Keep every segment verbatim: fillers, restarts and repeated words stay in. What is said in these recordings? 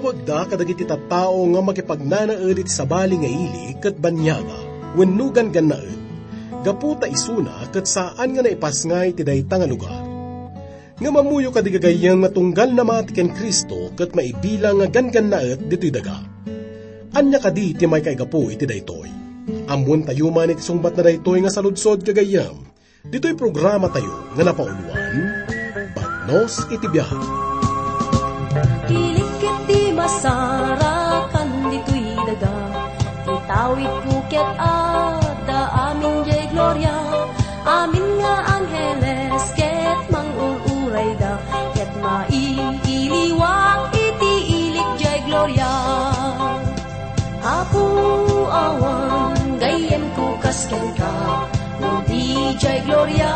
Agda kadagiti tattao nga makipagnanaed iti sabali nga ili ket baniaga wenno ganggannaet, gapu ta isuna ket saan nga naipasngay ti dayta nga lugar. Ngem ammoyo kadi gagayyem nga tunggal namati ken Cristo ket maibilang nga ganggannaet ditoy daga. Ania kadi ti maikaigapu iti daytoy? Ammoentayo man iti sungbatna daytoy nga saludsod, gagayyem. Ditoy programatayo nga napauloan, Bagnos iti Biag. Ilik ket di masarakan ditoy daga, itawidko ket adda amin jay gloria, amin nga angheles ket mangur-urayda, ket mailiwak iti ilik jay gloria. Apo, awan gayyemko kas kenka, no di jay gloria,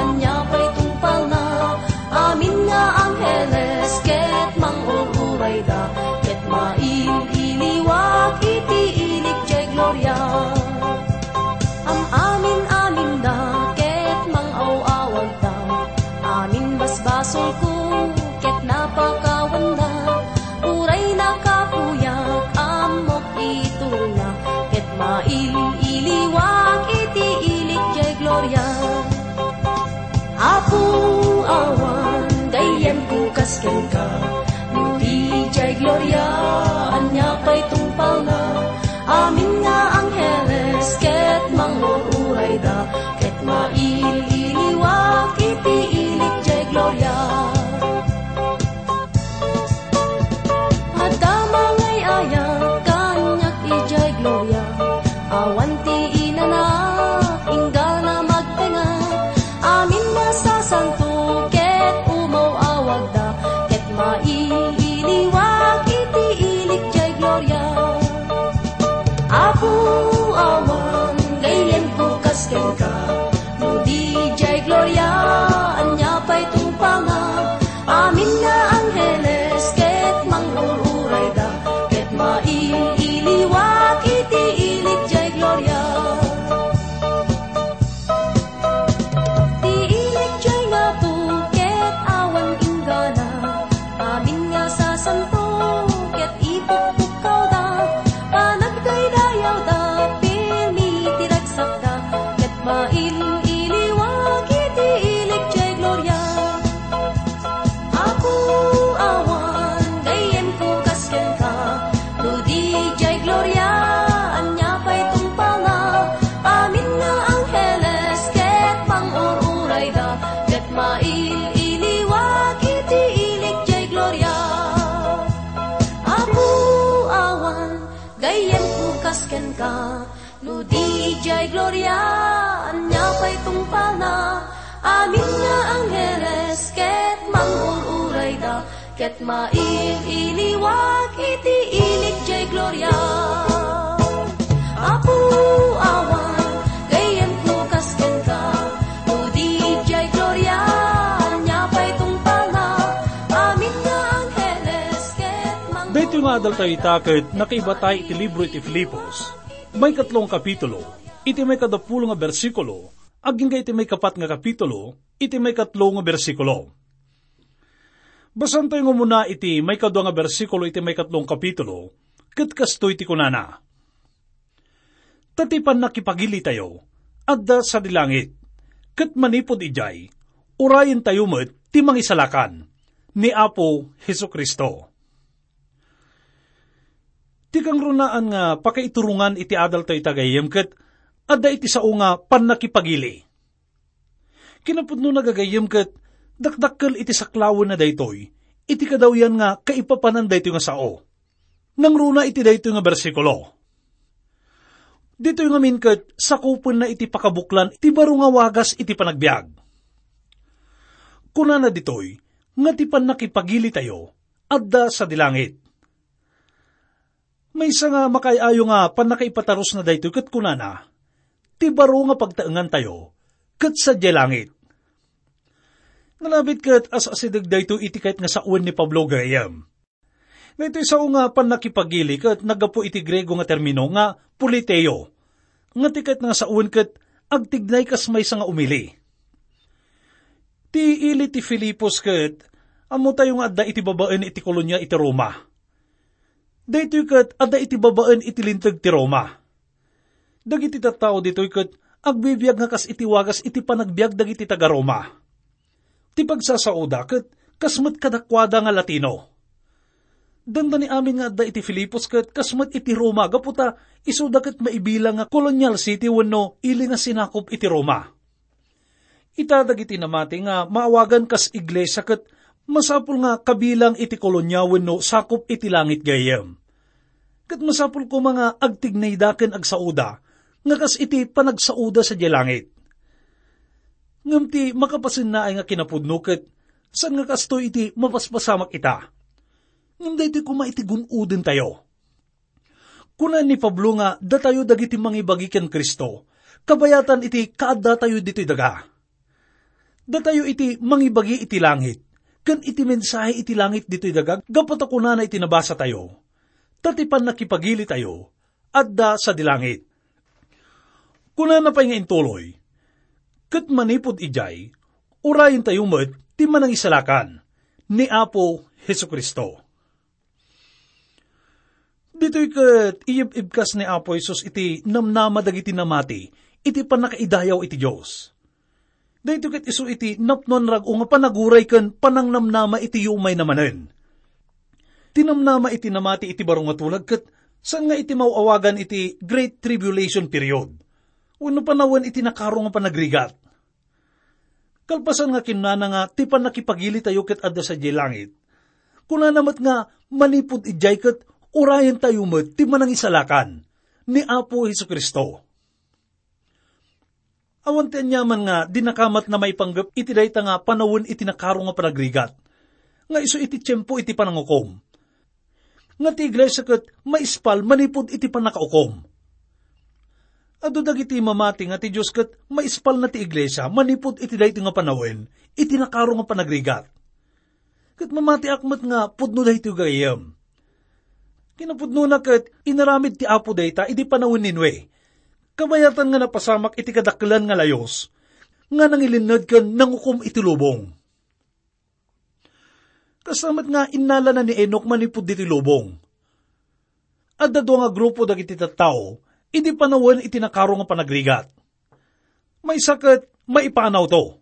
ania pay tungpalna? Amin nga angheles ket mangur-urayda, ket mail-iliwak iti ilik jay gloria. Am-amin-aminda ket mang-aw-awagda, amin basbasolko ket napakawanda, uray nakapuyak, ammok iturongna, ket mail-iliwak iti ilik jay gloria. Apo, awan gayyemko kas kenka, no di jay gloria, ania pay tungpalna? Amin nga angheles ket mangur-urayda, ket mail-iliwak iti ilik jay gloria. Adda mangay-ayat kaniak idiay gloria, awan ti inanak, inggana magtenga, amin nga sasanto ket umaw-awagda, ket mailiwak iti ilik jay gloria. Apo, awan gayyemko kas kenka, no di jay gloria, ania pay tungpalna? Amin nga angheles ket mangur-urayda, ket mail-iliwak iti ilik jay gloria. Ti ilik jay ngato ket awan inggana, amin nga sasanto ket ipukpukkawda, panagdaydayawda, pirmi ti ragsakda, ket mail-iliwak iti ilik jay gloria. Apo, awan gayyemko kas kenka, no di jay gloria, ania pay tungpalna? Amin nga angheles ket mangur-urayda, ket mail-iliwak iti ilik jay gloria. Apo, awan gayyemko kas kenka, no di jay gloria, ania pay tungpalna? Amin nga angheles ket mangur-urayda, ket mail-iliwak iti ilik jay gloria. Apo, awan gayyemko kas kenka, no di jay gloria, ania pay tungpalna? Amin nga angheles ket mang- Daytoy nga adaltayo ita ket nakaibatay iti libro iti Filipos, maikatlo nga kapitulo, iti maikadapulo nga bersikulo, agingga iti maikapat nga kapitulo, iti maikatlo nga bersikulo. Basaentayo nga umuna iti maikadua nga bersikulo iti maikatlo nga kapitulo, ket kastoy ti kunana: Ta ti pannakipagilitayo, adda sadi langit, ket manipud idiay, urayentayo met ti Mangisalakan, ni Apo Jesu-Cristo. Ti kangrunaan nga pakaiturongan iti adaltayo ita, gayyem, ket adda iti sao nga pannakipagili. Kinapudnona, gagayyem, ket dakdakkel iti saklawenna daytoy iti kadawyan nga kaipapanan daytoy nga sao. Nangruna iti daytoy nga bersikulo. Ditoy ngamin ket sakupenna iti pakabuklan ti baro nga wagas iti panagbiag. Kunana ditoy nga ti pannakipagilitayo adda sadi langit. Maysa nga makaay-ayo nga pannakaipatarusna daytoy ket kunana, ti baro nga pagtaengantayo ket sadiay langit. Nalabit ket as-asideg daytoy iti kayat nga sawen ni Pablo, gayyem. Daytoy sao nga pannakipagili ket naggapu iti Griego nga termino nga politeio, nga ti kayat nga sawen ket agtignay kas maysa nga umili. Ti ili ti Filipos ket ammotayo nga adda iti babaen iti kolonia iti Roma. Daytoy ket adda iti babaen iti Linteg ti Roma. Dagiti tattao ditoy ket agbibiag nga kas iti wagas iti panagbiag dagiti taga-Roma. Ti pagsasauda ket kas met kadakuada nga Latino. Dandani amin nga adda iti Filipos ket kas met iti Roma gapu ta isuda ket maibilang nga colonial city wenno ili nga sinakop iti Roma. Ita dagiti namati nga maawagan kas iglesia ket masapul nga kabilang iti kolonia wenno sakop iti langit gayyem. Ket masapul koma nga agtignayda ken agsauda nga kas iti panagsauda sadiay langit. Ngem ti makapasennaay nga kinapudno ket saan nga kastoy iti mapaspasamak ita. Ngem daytoy koma iti gun-odentayo. Kuna ni Pablo nga datayo dagiti mangibagi ken Cristo, kabayatan iti kaaddatayo ditoy daga. Datayo iti mangibagi iti langit, ken iti mensahe iti langit ditoy daga, gapu ta kunana iti nabasatayo, ta ti pannakipagilitayo, adda sadi langit. Kunana pay nga intuloy, ket manipud idiay, urayentayo met ti manangisalakan, ni Apo Jesu-Cristo. Ditoy ket iyib-ibkas ni Apo Jesus iti namnama dagiti namati iti pannakaidayaw iti Dios. Daytoy ket isu iti napnuan rag-o nga panaguray ken panangnamnama iti yumayna manen. Ti namnama iti namati iti baro nga tulag ket saan nga iti maw-awagan iti Great Tribulation Period wenno panawen iti nakaro nga panagrigat. Kalpasan nga kinnana nga ti pannakipagilitayo ket adda sadiay langit, kunana met nga manipud idiay ket urayentayo met ti manangisalakan ni Apo Jesu-Cristo. Awan ti aniaman nga dinakamatna maipanggep iti dayta nga panawen iti nakaro nga panagrigat, nga isu iti tiempo iti panangukom. Nga ti iglesia ket maispal manipud iti pannakaukom. Adu dagiti mamati nga ti Dios ket maispalna ti iglesia manipud iti daytoy nga panawen iti nakaro nga panagrigat. Ket mamatiak met nga pudno daytoy gayyem. Kinapudnona ket inaramid ti Apo dayta idi panawen ni Noe. Kabayatan nga napasamak iti kadakkelan nga layus nga nangilinned ken nangukom iti lubong. Kasta met nga innalana ni Enoc manipud ditoy lubong. Adda dua nga grupo dagiti tattao idi panawen iti nakaro nga panagrigat. Maysa ket maipanawto.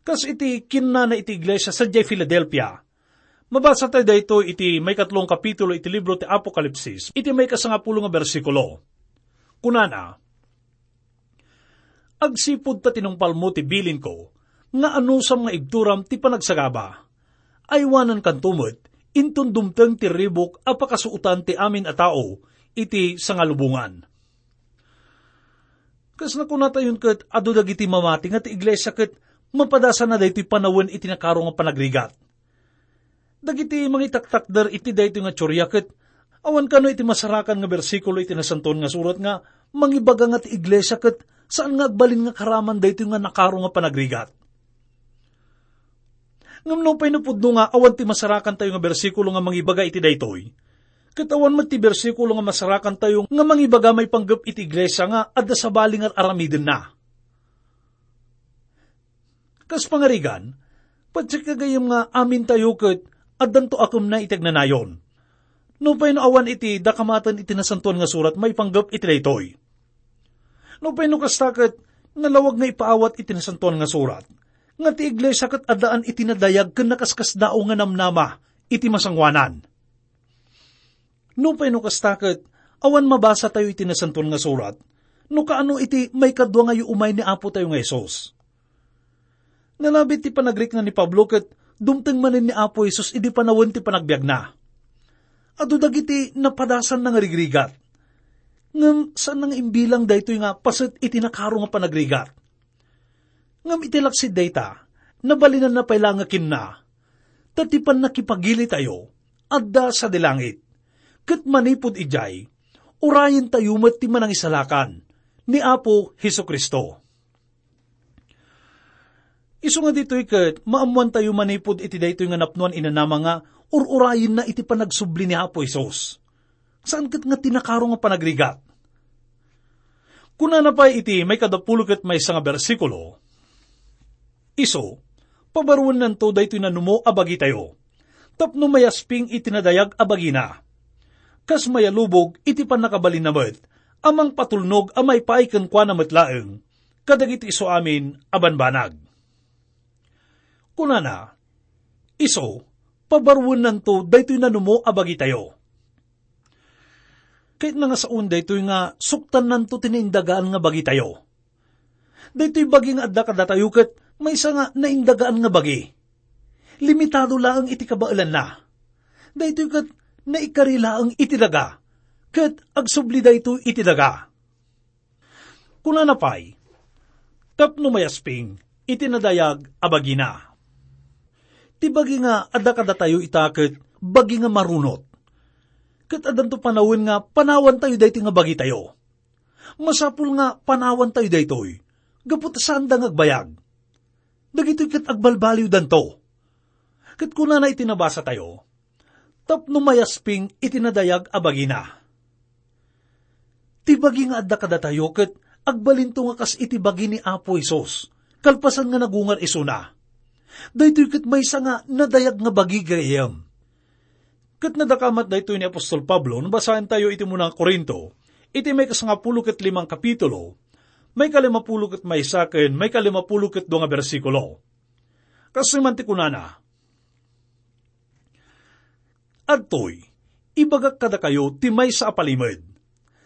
Kas iti kinnana iti iglesia sadiay Filadelfia. Mabasa tayo daytoy iti maikatlo nga kapitulo iti libro ti Apokalipsis, iti maikasangapulo nga bersikulo. Kunana, "Agsipud ta tinungpalmo ti bilinko, nga anusam nga ibturam ti panagsagaba, aywanankanto met inton dumteng ti ribuk a pakasuotan ti amin a tao iti sangalubongan." Kas nakunatayon ket, adu dagiti mamati nga ti iglesia ket mapadasanna daytoy panawen iti nakaro nga panagrigat. Dagiti mangitaktakder iti daytoy nga teoria ket awan kano iti masarakan nga bersikulo iti Nasantoan nga Surat nga mangibaga nga ti iglesia ket saan nga agbalin nga karaman daytoy nga nakaro nga panagrigat. Ngem nupay napudno nga awan ti masarakantayo nga bersikulo nga mangibaga iti daytoy, ket awan met ti bersikulo nga masarakantayo nga mangibaga maipanggep iti iglesia nga adda sabali nga ar-aramidenna. Kas pangarigan, patiek gagayyem nga amintayo ket addanto akemna iti agnanayon. Nupay no awan iti dakamaten iti Nasantoan nga Surat maipanggep iti daytoy. Nupay no kasta ket, nalawag nga ipaawat iti Nasantoan nga Surat nga ti iglesia ket addaan iti nadayag ken nakaskasdaaw nga namnama iti masangoanan. Nupay no kasta ket, awan mabasatayo iti Nasantoan nga Surat no kaano iti maikadua nga yuumay ni Apotayo nga Jesus. Nalabit ti panagrikna ni Pablo ket dumteng manen ni Apo Jesus idi panawen ti panagbiagna. Adu dagiti napadasanna nga rigrigat. Ngem saanna nga imbilang daytoy nga paset iti nakaro nga panagrigat. Ngem iti laksid dayta, nabalinanna pay la nga kinna, ta ti pannakipagilitayo, adda sadi langit, ket manipud idiay, urayentayo met ti manangisalakan ni Apo Jesu-Cristo. Isu nga ditoy ket maammoantayo manipud iti daytoy nga napnoan inanama nga ur-urayenna iti panagsubli ni Apo Jesus. Saan ket nga ti nakaro nga panagrigat. Kunana pay iti maikadapulo ket maysa nga bersikulo, "Isu, pabaruennanto daytoy nanumo a bagitayo, tapno mayasping iti nadayag a bagina. kas mayalubog iti pannakabalinna met a mangpatulnog a maipaay kenkuana met laeng kadagiti isuamin a banbanag. Kunana, "Isu, pabaruennanto daytoy nanumo a bagitayo." Kayatna nga saoen daytoy nga suktannanto ti naindagaan nga bagitayo. Daytoy bagi nga adda kadatayo ket maysa nga naindagaan nga bagi. Limitado laeng iti kabaelanna. Daytoy ket naikari laeng iti daga, ket agsubli daytoy iti daga. Kunana pay, tapno mayasping iti nadayag a bagina. Ti bagi nga adda kadatayo ita ket bagi nga marunot. Ket addanto panawen nga panawantayo daytoy nga bagitayo. Masapul nga panawantayo daytoy, gapu ta saanda nga agbayag. Dagitoy ket agbalbaliwdanto. Ket kunana iti nabasatayo, tapno mayasping iti nadayag a bagina. Ti bagi nga adda kadatayo ket agbalinto nga kas iti bagi ni Apo Jesus, kalpasan nga nagungar isuna. Daytoy ket maysa nga nadayag nga bagi, gayyem. Ket nadakamat daytoy ni apostol Pablo no basaentayo iti umuna nga Corinto, iti maikasangapulo ket limang kapitulo, maikalimapulo ket maysa ken maikalimapulo ket dua nga bersikulo. Kastoy man ti kunana, "Adtoy, ibagak kadakayo ti maysa a palimed.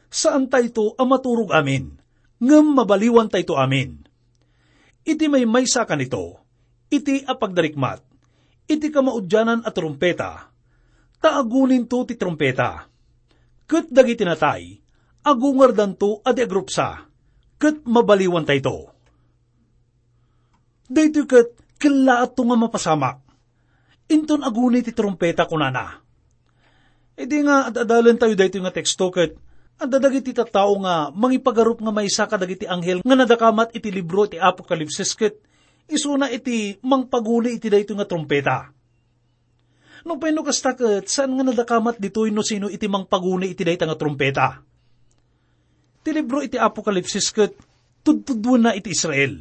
Saantayto a maturog amin, ngem mabaliwantayto amin. Iti maymaysa a kanito, iti apagdarikmat, iti kamaudianan a trumpeta, ta aguninto ti trumpeta. Ket dagiti natay, agungardanto a di agrupsa, ket mabaliwantayto." Daytoy ket kellaatto nga mapasamak. Inton aguni ti trumpeta, kunana. Idi nga ad-adalentayo daytoy nga teksto ket adda dagiti tattao nga mangipagarup nga maysa kadagiti anghel nga nadakamat iti libro ti Apokalipsis ket isuna iti mangpaguni iti daytoy nga trumpeta. Nupay no kasta ket saan nga nadakamat ditoy no sino iti mangpaguni iti dayta nga trumpeta. Ti libro iti Apokalipsis ket tudtuduenna iti Israel.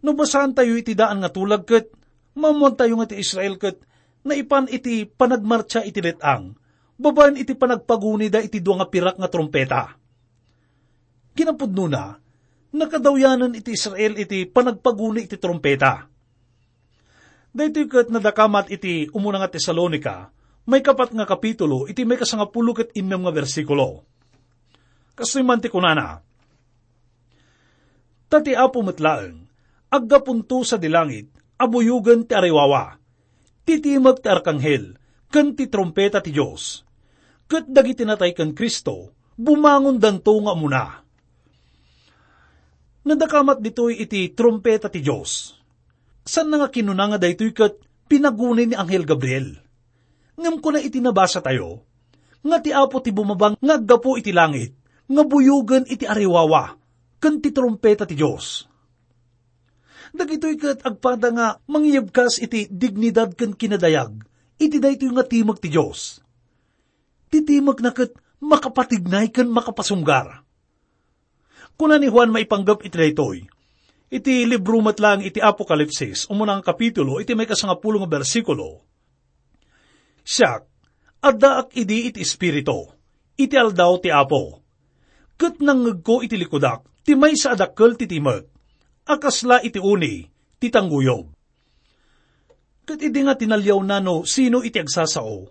No basaantayo iti daan nga tulag ket maammoantayo nga ti Israel ket naipan iti panagmartsa iti let-ang babaen iti panagpagunida iti dua nga pirak nga trumpeta. Kinapudnona, nakadawyanen iti Israel iti panagpaguni iti trumpeta. Daytoy ket nadakamat iti umuna nga Tesalonica, maikapat nga kapitulo, iti maikasangapulo ket innem nga bersikulo. Kastoy man ti kunana, "Ta ti Apo met laeng, aggapunto sadi langit a buyogen ti ariwawa, ti timek ti arkanghel, ken ti trumpeta ti Dios. Ket dagiti natay ken Cristo, bumangondanto nga umuna." Nadakamat ditoy iti trumpeta ti Dios. Saanna nga kinuna nga daytoy ket pinaguni ni Anghel Gabriel. Ngem kuna iti nabasatayo, nga ti Apo ti bumaba nga aggapu iti langit, nga buyogen iti ariwawa, ken ti trumpeta ti Dios. Dagitoy ket agpada nga mangyebkas iti dignidad ken kinadayag iti daytoy nga timek ti Dios. Ti timekna ket makapatignay ken makapasunggar. Kuna ni Juan maipanggep iti daytoy, iti libro met laeng iti Apokalipsis, umuna nga kapitulo, iti maikasangapulo nga bersikulo, "Siak, addaak idi iti Espiritu, iti aldaw ti Apo. Ket nangngegko iti likudak ti maysa a dakkel ti timek, a kasla iti uni ti tangguyob." Ket idi nga tinaliawna no sino iti agsasao,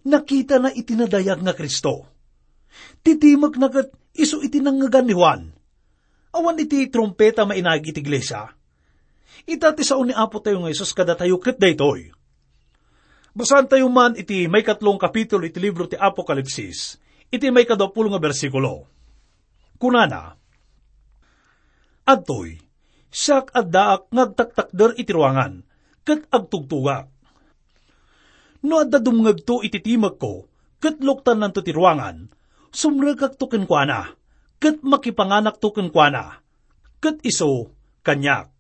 nakitana iti nadayag nga Cristo. Ti timekna ket isu iti nangngegan ni Juan. Awan iti trumpeta mainaig iti iglesia. Ita ti sao ni Apo tayo nga Jesus kadatayo ket daytoy. Basaantayo man iti maikatlo nga kapitulo iti libro ti Apokalipsis, iti maikadua pulo nga bersikulo. Kunana, "Adtoy, siak addaak nga agtaktakder iti ruangan, ket agtugtugak. No adda dumngegto iti timekko, ket luktannanto ti ruangan, sumrekakto kenkuana, ket makipanganakto kenkuana, ket isu kaniak."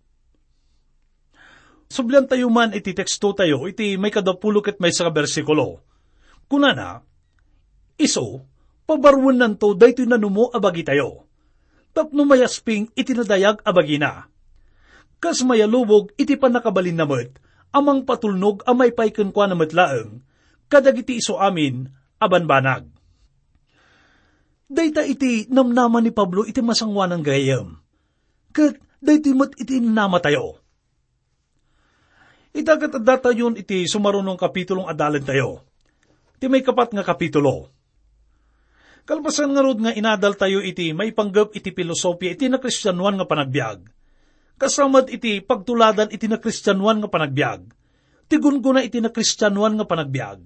Subliantayo man iti tekstotayo iti maikadua pulo ket maysa nga bersikulo. Kunana, "Isu, pabaruennanto daytoy nanumo a bagitayo, tapno mayasping iti nadayag a bagina. Kas mayalubog iti pannakabalinna met a mangpatulnog a maipaay kenkuana met laeng kadagiti isuamin a banbanag. Dayta iti namnama ni Pablo iti masangoanan gayam. Ket daytoy met iti namnamatayo. Ita ket addatayon iti sumaruno nga kapitulong adalentayo. Ti maikapat nga kapitulo. Kalpasan ngarud nga inadaltayo iti maipanggep iti pilosopia iti nakristianoan nga panagbiag. Kasta met iti pagtuladan iti nakristianoan nga panagbiag. Ti gunggona iti nakristianoan nga panagbiag.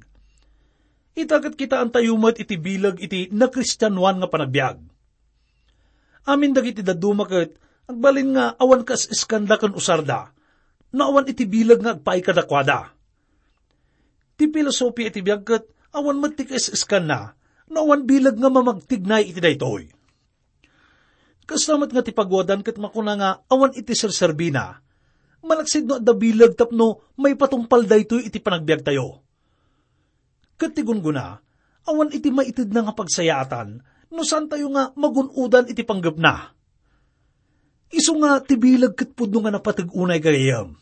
Ita ket kitaantayo met iti bileg iti nakristianoan nga panagbiag. Amin dagiti dadduma ket agbalin nga awan kas-iskanda ken usarda, no awan iti bileg nga agpaay kadakuada. Ti filosofia iti biag ket awan met ti kas-iskanna, no awan bileg nga mamagtignay iti daytoy. Kasta met nga ti paguadan ket makuna nga awan iti serserbina, malaksid no adda bileg tapno maipatungpal daytoy iti panagbiagtayo. Ket ti gunggona, awan iti maitedna nga pagsayaatan no saantayo nga magun-odan iti panggepna. Isu nga ti bileg ket pudno nga napateg unay gayam.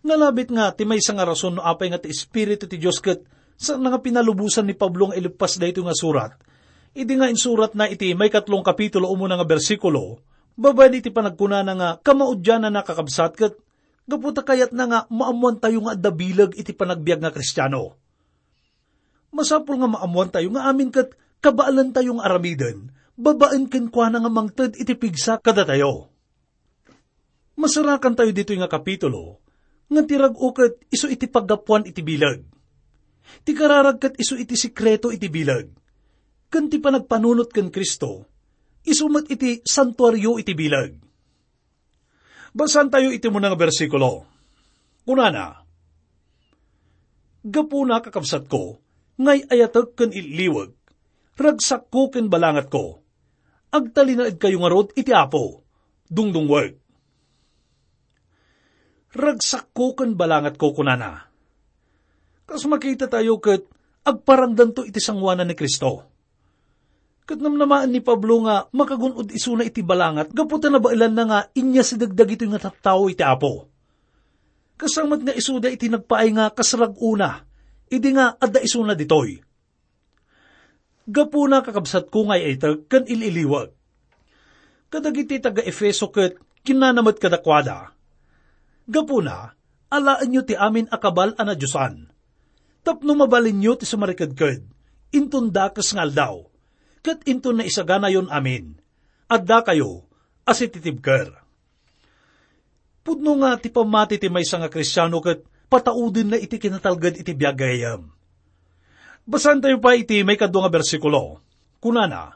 Nalabit nga ti maysa nga rason no apay nga ti Espiritu ti Dios ket saan nga pinalubosan ni Pablo nga ileppas daytoy nga surat, idi nga insuratna iti maikatlong kapitulo umuna nga bersikulo, babaen iti panagkunana nga kamaudiananna, kakabsat, ket gapu ta kayatna nga maammoantayo nga adda bileg iti panagbiag nga Kristiano. Masapul nga maammoantayo nga amin ket kabaelantayo nga aramiden babaen kenkuana nga mangted iti pigsa kadatayo. Masarakantayo ditoy nga kapitulo nga ti rag-o ket isu iti paggapuan iti bileg. Ti kararag ket isu iti sekreto iti bileg. Ken ti panagpanunot ken Cristo, isu met iti santuario iti bileg. Basaentayo iti umuna nga bersikulo. Kunana, "Gapuna, kakabsatko, nga ay-ayatek ken illiwek, ragsakko ken balangatko, agtalinaedkayo ngarud iti Apo, dungdungwek." "Ragsakko ken balangatko," kunana. Kas makitatayo ket agparangdanto iti sangoanan ni Cristo. Ket namnamaen ni Pablo nga makagun-od isuna iti balangat gapu ta nabaelanna nga inyasideg dagitoy nga tattao iti Apo. Kasta met nga isuda iti nagpaay nga kas rag-ona, idi nga adda isuna ditoy. "Gapuna, kakabsatko nga ay-ayatek ken il-iliwek." Kadagiti taga-Efeso ket kinunana met kadakuada, "Gapuna, alaenyo ti amin a kabal a nadiosan, tapno mabalinyo ti sumariketked inton dakes nga aldaw, ket inton naisaganayon amin, addakayo a sititibker." Pudno nga ti pammati ti maysa nga Kristiano ket pataudenna iti kinatalged iti biag gayam. Basaentayo pay iti maikadua nga bersikulo. Kunana,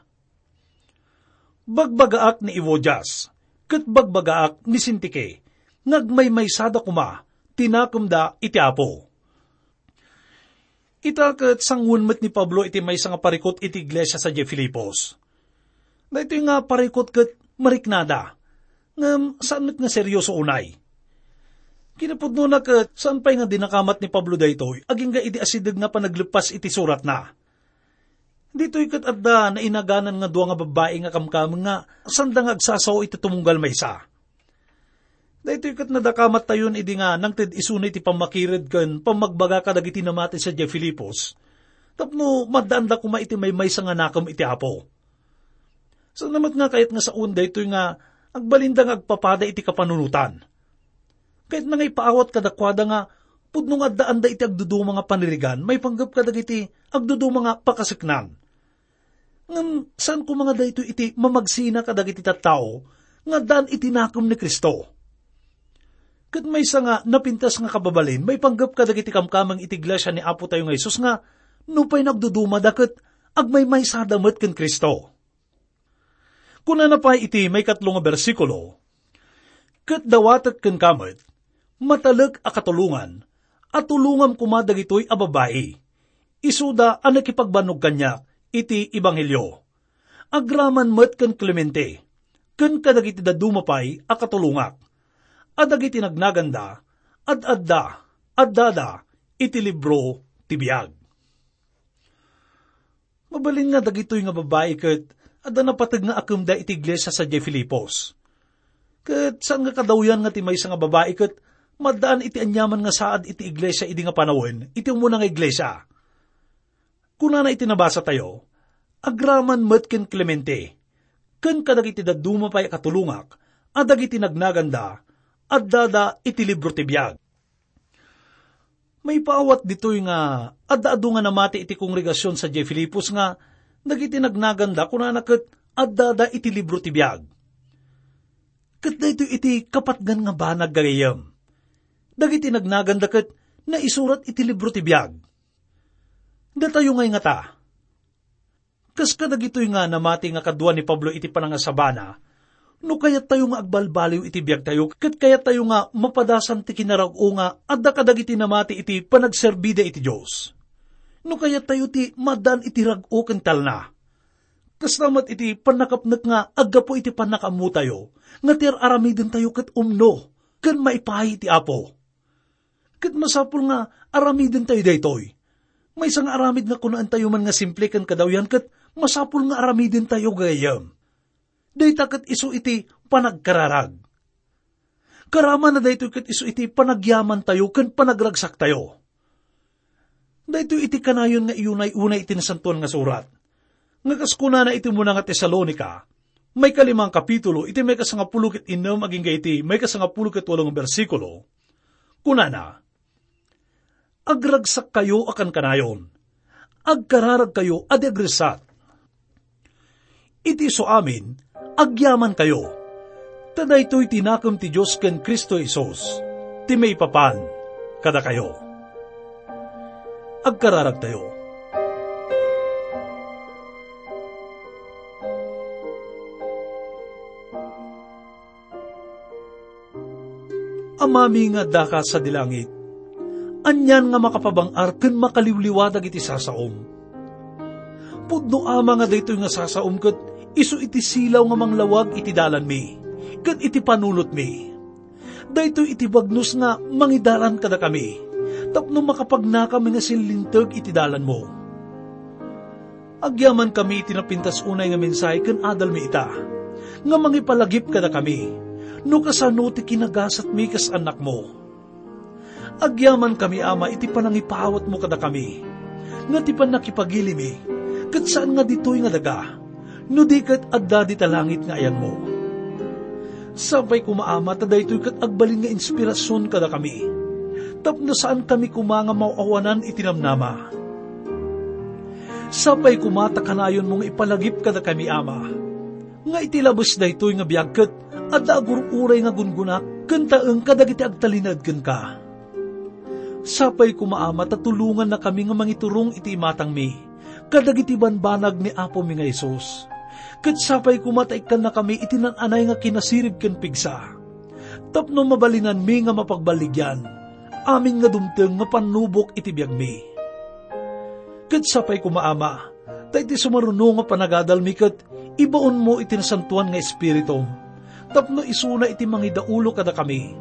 "Bagbagaak ni Euodias, ket bagbagaak ni Sintike, nga agmaymaysada koma ti nakemda iti Apo." Ita ket sangoen met ni Pablo iti maysa nga parikut iti iglesia sadiay Filipos. Daytoy nga parikut ket mariknada, ngem saan met nga serioso unay. Kinapudnona ket saan pay nga dinakamat ni Pablo daytoy agingga idi asideg nga panagleppas iti suratna. Ditoy ket adda nainaganan nga dua nga babbai nga kamkameng nga sanda nga agsasao iti tumunggal maysa. Daytoy ket nadakamattayon idi nga nangted isuna iti pammakired ken pammagbaga kadagiti namati sadiay Filipos, tapno maddaanda koma iti maymaysa nga nakem iti Apo. Saan met nga kayat nga saoen daytoy nga agbalinda nga agpapada iti kapanunotan. Kayatna nga ipaawat kadakuada nga pudno nga addaanda iti agduduma nga panirigan maipanggep kadagiti agduduma nga pakaseknan. Ngem saan koma nga daytoy iti mamagsina kadagiti tattao nga addaan iti nakem ni Cristo. Ket maysa nga napintas nga kababalin maipanggep kadagiti kamkameng iti iglesia ni Apo tayo nga Jesus nga nupay nagdudumada ket agmaymaysada met ken Cristo. Kunana pay iti maikatlo nga bersikulo, "Ket dawatek kenka met, matalek a katulongan, a tulongam koma dagitoy a babbai, isuda a nakipagbannog kaniak iti ebanghelio. Agraman met ken Clemente, ken kadagiti dadduma pay a katulongak, a dagiti nagnaganda, ad-adda, addada iti libro ti biag." Mabalin nga dagitoy nga babbai ket adda napateg nga akemda iti iglesia sadiay Filipos. Ket saan nga kadawyan nga ti maysa nga babbai ket maddaan iti aniaman nga saad iti iglesia idi nga panawen iti umuna nga iglesia. Kunana iti nabasatayo, "Agraman met ken Clemente, ken kadagiti dadduma pay a katulongak a dagiti nagnaganda, addada iti libro ti biag." Maipaawat ditoy nga adda adu nga namati iti kongregasion sadiay Filipos nga dagiti nagnaganda kunana ket addada iti libro ti biag. Ket daytoy iti kapatgan nga banag, gagayyem. Dagiti nagnaganda ket naisurat iti libro ti biag. Datayo ngay ngata, kas kadagitoy nga namati nga kadua ni Pablo iti panangasabana, no kayattayo nga agbalbaliw iti biagtayo ket kayattayo nga mapadasan ti kinarag-o nga adda kadagiti namati iti panagserbida iti Dios, no kayattayo ti maaddaan iti rag-o ken talna, kasta met iti pannakapnek nga aggapu iti pannakaammotayo nga ti ar-aramidentayo ket umno ken maipaay iti Apo. Ket masapul nga aramidentayo daytoy. Maysa nga aramid nga kunaentayo man nga simple ken kadawyan ket masapul nga aramidentayo, gagayyem. Dayta ket isu iti panagkararag. Karamana daytoy ket isu iti panagyamantayo ken panagragsaktayo. Daytoy iti kanayon nga iunay-unay iti Nasantoan nga Surat, nga kas kunana iti umuna nga Tesalonica, maikalimang kapitulo, iti maikasangapulo ket innem agingga iti maikasangapulo ket walo nga bersikulo, kunana, "Agragsakkayo a kankanayon, agkararagkayo a di agriksat. Iti isu amin, agyamankayo, ta daytoy ti nakem ti Dios ken Cristo Jesus, ti maipapan kadakayo." Agkararagtayo. Amami nga addaka sadi langit, anian nga makapabang-ar ken makaliwliwa dagiti sasaom. Pudno, Ama, nga daytoy nga sasaom ket isu iti silaw nga manglawag iti dalanmi ken iti panunotmi. Daytoy iti bagnos nga mangidalan kadakami tapno makapagnakami nga sinlinteg iti dalanmo. Agyamankami iti napintas unay nga mensahe ken adalmi ita, nga mangipalagip kadakami no kasano ti kinagasatmi kas annakmo. Agyamankami, Ama, iti panangipawatmo kadakami, nga ti pannakipagilimi ket saan nga ditoy nga daga, no di ket adda dita langit nga ayanmo. Sapay koma, Ama, ta daytoy ket agbalin nga inspirasion kadakami, tapno saankami koma nga maaw-awanan iti namnama. Sapay koma ta kanayonmo nga ipalagip kadakami, Ama, nga iti labes daytoy nga biag ket adda agur-uray nga gunggona ken taeng kadagiti agtalinaed kenka. Sapay koma, Ama, ta tulongannakami nga mangiturong iti imatangmi kadagiti banbanag ni Apomi nga Jesus. Ket sapay koma ta ikkannakami iti naan-anay nga kinasirib ken pigsa, tapno mabalinanmi nga mapagballigian amin nga dumteng nga pannubok iti biagmi. Ket sapay koma, Ama, ta iti sumaruno nga panagadalmi ket ibaonmo iti Nasantoan nga Espiritum, tapno isuna iti mangidaulo kadakami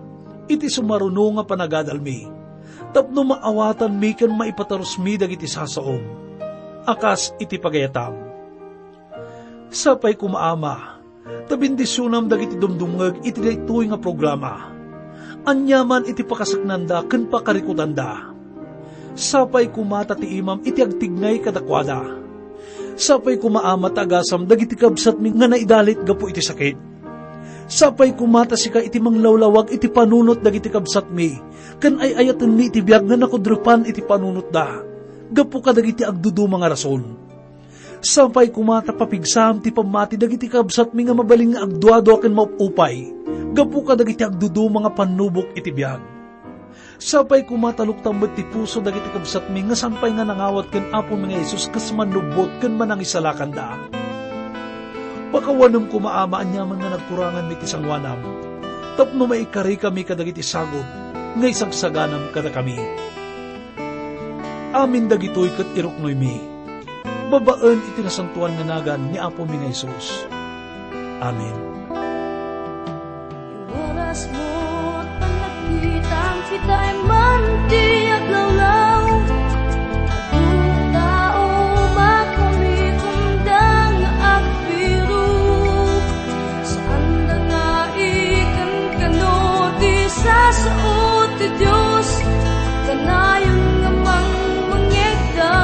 iti sumaruno nga panagadalmi, tapno maawatanmi ken maipatarusmi dagiti sasaom a kas iti pagayatam. Sapay koma, Ama, ta bendisionam dagiti dumdumngeg iti daytoy nga programa. Aniaman iti pakasaknanda ken pakarikutanda. Sapay koma ta ti imam iti agtignay kadakuada. Sapay koma, Ama, ta agasam dagiti kabsatmi nga naidalit gapu iti sakit. Sapay koma ta sika iti manglawlawag iti panunot dagiti kabsatmi ken ay-ayatenmi iti biag nga nakudrepan iti panunotda gapu kadagiti agduduma nga rason. Sapay koma ta papigsam ti pammati dagiti kabsatmi nga mabalin nga agduadua ken maupupay gapu kadagiti agduduma nga pannubok iti biag. Sapay koma ta luktam met ti puso dagiti kabsatmi nga saan pay nga nangawat ken Apomi nga Jesus kas mannubbot ken manangisalakanda. Pakawanem koma, Ama, aniaman nga nagkuranganmi ti sangoanam, tapno maikarikami kadagiti sagut nga isagsaganam kadakami. Amin dagitoy ket iruknoymi babaen iti nasantoan nga nagan ni Apomi nga Jesus. Amen. Iwaras mo at panagkitang kita ay man ti aglawlaw. Tao makamikunda nga agbiru. Saan nga ikan kano ti sasao ti Dios, kanayon nga mangmangngegda.